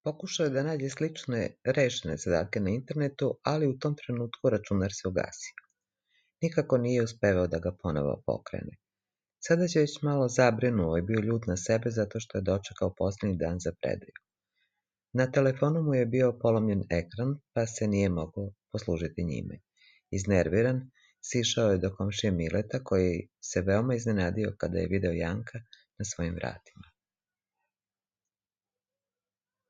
Pokušao je da nađe slične rešene zadatke na internetu, ali u tom trenutku računar se ugasio. Nikako nije uspevao da ga ponovo pokrene. Sada je već malo zabrinuo i bio ljut na sebe zato što je dočekao poslednji dan za predaju. Na telefonu mu je bio polomljen ekran, pa se nije mogao poslužiti njime. Iznerviran, sišao je do komšije Mileta, koji se veoma iznenadio kada je video Janka na svojim vratima.